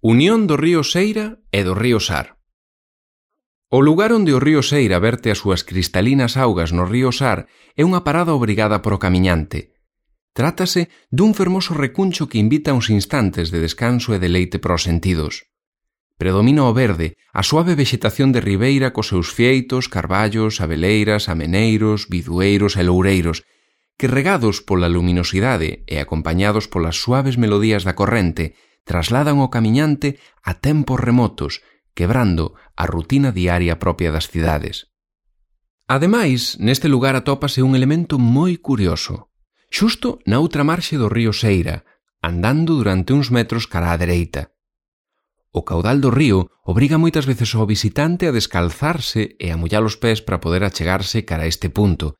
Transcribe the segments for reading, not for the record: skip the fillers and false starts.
Unión do río Seira e do río Sar. O lugar onde o río Seira verte as súas cristalinas augas no río Sar é unha parada obrigada por o camiñante. Trátase dun fermoso recuncho que invita uns instantes de descanso e deleite para os sentidos. Predomina o verde, a suave vexetación de ribeira cos seus fieitos, carballos, abeleiras, ameneiros, bidueiros e loureiros, que regados pola luminosidade e acompañados polas suaves melodías da corrente, trasladan o camiñante a tempos remotos, quebrando a rutina diaria propia das cidades. Ademais, neste lugar atópase un elemento moi curioso. Xusto na outra marxe do río Seira, andando durante uns metros cara á dereita. O caudal do río obriga moitas veces ao visitante a descalzarse e a mollar os pés para poder achegarse cara a este punto.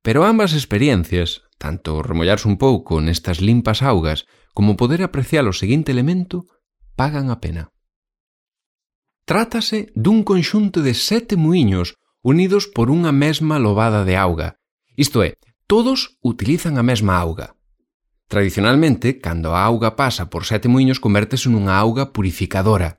Pero ambas experiencias, tanto remollarse un pouco nestas limpas augas como poder apreciar o seguinte elemento, pagan a pena. Trátase dun conxunto de 7 muíños unidos por unha mesma lobada de auga. Isto é, todos utilizan a mesma auga. Tradicionalmente, cando a auga pasa por 7 muíños, convértese nunha auga purificadora.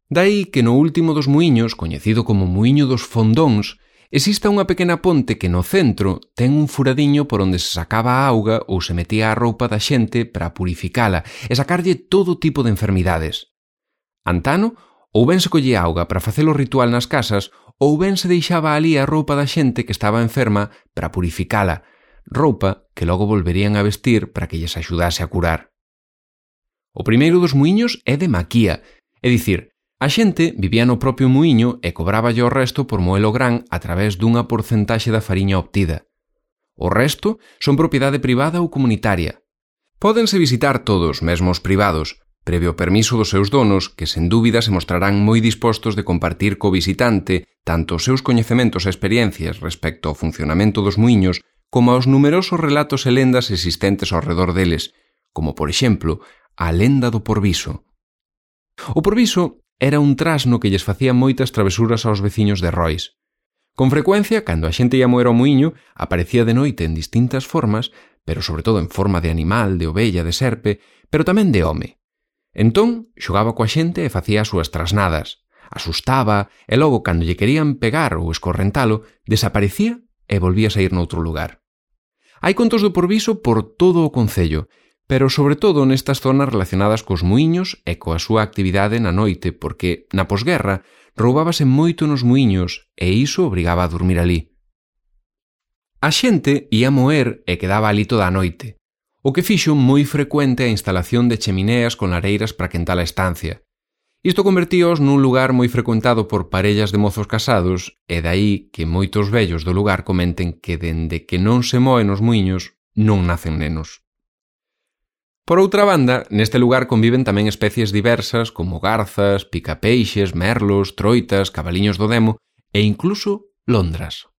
Daí que no último dos muíños, coñecido como Muíño dos Fondóns, exista unha pequena ponte que no centro ten un furadiño por onde se sacaba a auga ou se metía a roupa da xente para purificala e sacarlle todo tipo de enfermidades. Antano, ou ben se collía auga para facer o ritual nas casas, ou ben se deixaba ali a roupa da xente que estaba enferma para purificala, roupa que logo volverían a vestir para que lles axudase a curar. O primeiro dos muíños é de maquía, é dicir, a xente vivía no propio muíño e cobráballe o resto por moelo gran a través dunha porcentaxe da fariña obtida. O resto son propiedade privada ou comunitaria. Pódense visitar todos, mesmo os privados, previo permiso dos seus donos, que sen dúbida se mostrarán moi dispostos de compartir co visitante tanto os seus coñecementos e experiencias respecto ao funcionamento dos muíños como aos numerosos relatos e lendas existentes ao redor deles, como, por exemplo, a lenda do Porviso. O Porviso era un trasno que lles facía moitas travesuras aos veciños de Rois. Con frecuencia, cando a xente ia moer ao muíño, aparecía de noite en distintas formas, pero sobre todo en forma de animal, de ovella, de serpe, pero tamén de home. Entón, xogaba coa xente e facía as súas trasnadas. Asustaba e logo, cando lle querían pegar ou escorrentalo, desaparecía e volvía a sair noutro lugar. Hai contos do Porviso por todo o concello, pero sobre todo nestas zonas relacionadas cos muíños e coa súa actividade na noite, porque na posguerra roubábase moito nos muíños e iso obrigaba a dormir ali. A xente ía moer e quedaba ali toda a noite, o que fixo moi frecuente a instalación de chemineas con lareiras para quentar a estancia. Isto convertíos nun lugar moi frecuentado por parellas de mozos casados e dai que moitos vellos do lugar comenten que dende que non se moe nos muíños non nacen nenos. Por outra banda, neste lugar conviven tamén especies diversas como garzas, picapeixes, merlos, troitas, cabaliños do demo e incluso londras.